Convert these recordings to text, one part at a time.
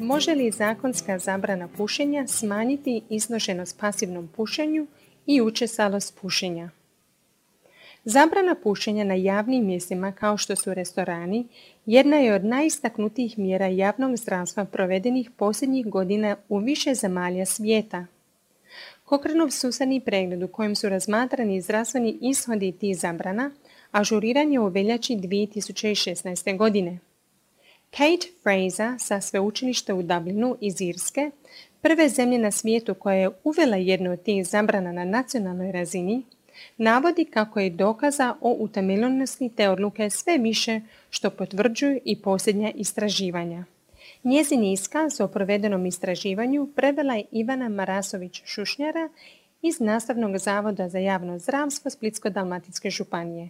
Može li zakonska zabrana pušenja smanjiti izloženost pasivnom pušenju i učestalost pušenja? Zabrana pušenja na javnim mjestima kao što su restorani jedna je od najistaknutijih mjera javnog zdravstva provedenih posljednjih godina u više zemalja svijeta. Cochraneov sustavni pregled u kojem su razmatrani zdravstveni ishodi tih zabrana ažuriran je u veljači 2016. godine. Kate Fraser sa sveučilišta u Dublinu iz Irske, prve zemlje na svijetu koja je uvela jednu od tih zabrana na nacionalnoj razini, navodi kako je dokaza o utemeljenosti te odluke sve više što potvrđuju i posljednja istraživanja. Njezin iskaz o provedenom istraživanju prevela je Ivana Marasović-Šušnjara iz Nastavnog zavoda za javno zdravstvo Splitsko-dalmatinske županije.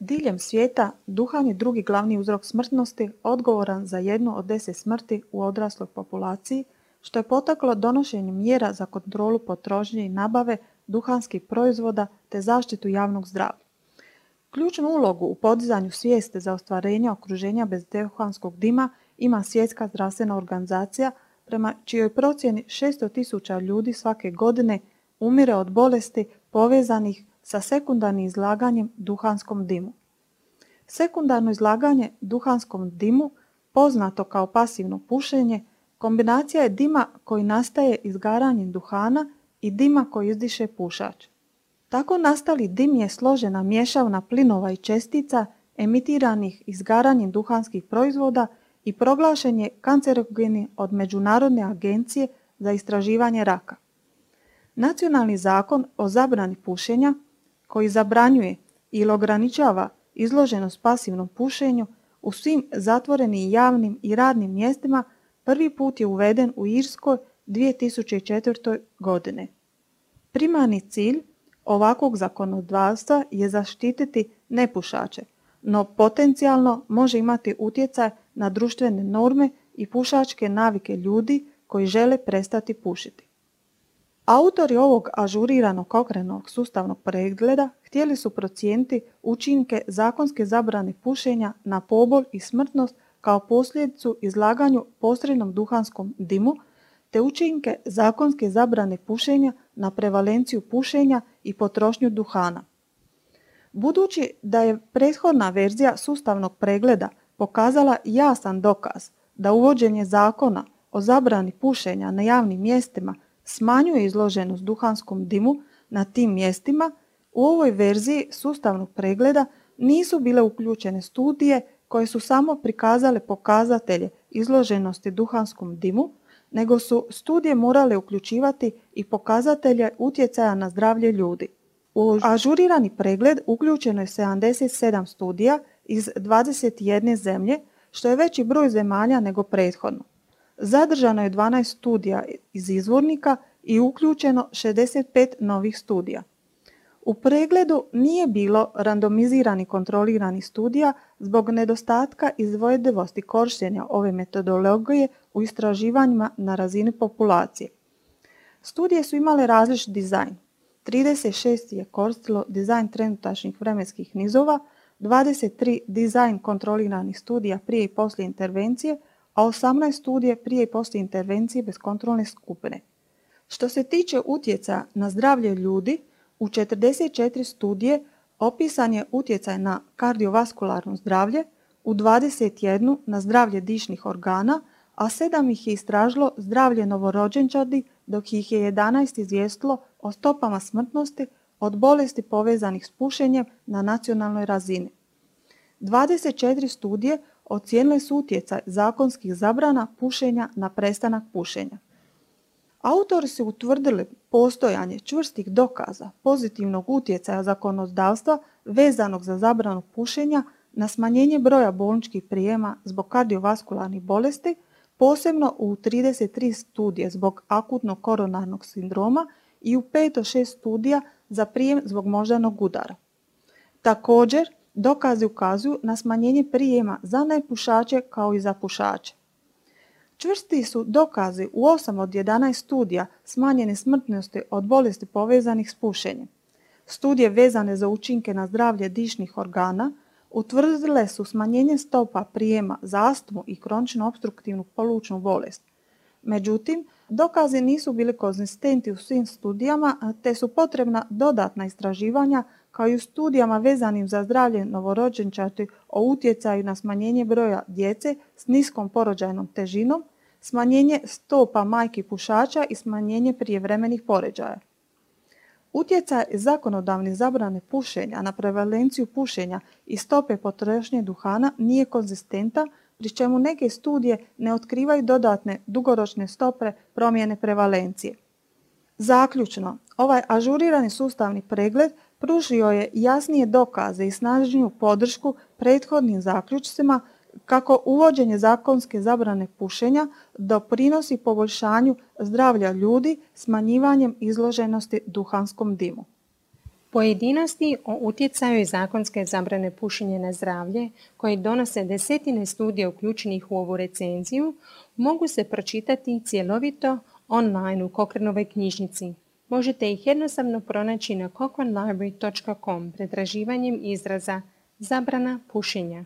Diljem svijeta duhan je drugi glavni uzrok smrtnosti, odgovoran za 1 od 10 smrti u odrasloj populaciji, što je potaklo donošenje mjera za kontrolu potrošnje i nabave duhanskih proizvoda te zaštitu javnog zdravlja. Ključnu ulogu u podizanju svijesti za ostvarenje okruženja bez duhanskog dima ima Svjetska zdravstvena organizacija, prema čijoj procjeni 600.000 ljudi svake godine umire od bolesti povezanih sa sekundarnim izlaganjem duhanskom dimu. Sekundarno izlaganje duhanskom dimu, poznato kao pasivno pušenje, kombinacija je dima koji nastaje izgaranjem duhana i dima koji izdiše pušač. Tako nastali dim je složena mješavina plinova i čestica emitiranih izgaranjem duhanskih proizvoda i proglašen je kancerogenim od Međunarodne agencije za istraživanje raka. Nacionalni zakon o zabrani pušenja, koji zabranjuje ili ograničava izloženost pasivnom pušenju u svim zatvorenim javnim i radnim mjestima, prvi put je uveden u Irskoj 2004. godine. Primarni cilj ovakvog zakonodavstva je zaštititi nepušače, no potencijalno može imati utjecaj na društvene norme i pušačke navike ljudi koji žele prestati pušiti. Autori ovog ažuriranog Cochraneovog sustavnog pregleda htjeli su procijeniti učinke zakonske zabrane pušenja na pobol i smrtnost kao posljedicu izlaganju posrednom duhanskom dimu, te učinke zakonske zabrane pušenja na prevalenciju pušenja i potrošnju duhana. Budući da je prethodna verzija sustavnog pregleda pokazala jasan dokaz da uvođenje zakona o zabrani pušenja na javnim mjestima smanjuje izloženost duhanskom dimu na tim mjestima, u ovoj verziji sustavnog pregleda nisu bile uključene studije koje su samo prikazale pokazatelje izloženosti duhanskom dimu, nego su studije morale uključivati i pokazatelje utjecaja na zdravlje ljudi. U ažurirani pregled uključeno je 77 studija iz 21 zemlje, što je veći broj zemalja nego prethodno. Zadržano je 12 studija iz izvornika i uključeno 65 novih studija. U pregledu nije bilo randomiziranih kontroliranih studija zbog nedostatka izvedivosti korištenja ove metodologije u istraživanjima na razini populacije. Studije su imale različit dizajn. 36 je koristilo dizajn trenutačnih vremenskih nizova, 23 dizajn kontroliranih studija prije i poslije intervencije, a 18 studije prije i poslije intervencije bez kontrolne skupine. Što se tiče utjecaja na zdravlje ljudi, u 44 studije opisan je utjecaj na kardiovaskularno zdravlje, u 21 na zdravlje dišnih organa, a 7 ih je istražilo zdravlje novorođenčadi, dok ih je 11 izvijestilo o stopama smrtnosti od bolesti povezanih s pušenjem na nacionalnoj razini. 24 studije ocijenile su utjecaj zakonskih zabrana pušenja na prestanak pušenja. Autori su utvrdili postojanje čvrstih dokaza pozitivnog utjecaja zakonodavstva vezanog za zabranu pušenja na smanjenje broja bolničkih prijema zbog kardiovaskularnih bolesti, posebno u 33 studije zbog akutnog koronarnog sindroma i u 5 od 6 studija za prijem zbog moždanog udara. Također, dokazi ukazuju na smanjenje prijema za nepušače kao i za pušače. Čvrsti su dokazi u 8 od 11 studija smanjene smrtnosti od bolesti povezanih s pušenjem. Studije vezane za učinke na zdravlje dišnih organa utvrdile su smanjenje stopa prijema za astmu i kroničnu opstruktivnu plućnu bolest. Međutim, dokazi nisu bili konzistentni u svim studijama, te su potrebna dodatna istraživanja kao i u studijama vezanim za zdravlje novorođenčadi o utjecaju na smanjenje broja djece s niskom porođajnom težinom, smanjenje stopa majki pušača i smanjenje prijevremenih porođaja. Utjecaj zakonodavne zabrane pušenja na prevalenciju pušenja i stope potrošnje duhana nije konzistentan, pri čemu neke studije ne otkrivaju dodatne dugoročne stope promjene prevalencije. Zaključno, ovaj ažurirani sustavni pregled pružio je jasnije dokaze i snažniju podršku prethodnim zaključcima kako uvođenje zakonske zabrane pušenja doprinosi poboljšanju zdravlja ljudi smanjivanjem izloženosti duhanskom dimu. Pojedinosti o utjecaju zakonske zabrane pušenja na zdravlje, koje donose desetine studija uključenih u ovu recenziju, mogu se pročitati cjelovito online u Cochranovoj knjižnici. Možete ih jednostavno pronaći na cochranelibrary.com pretraživanjem izraza zabrana pušenja.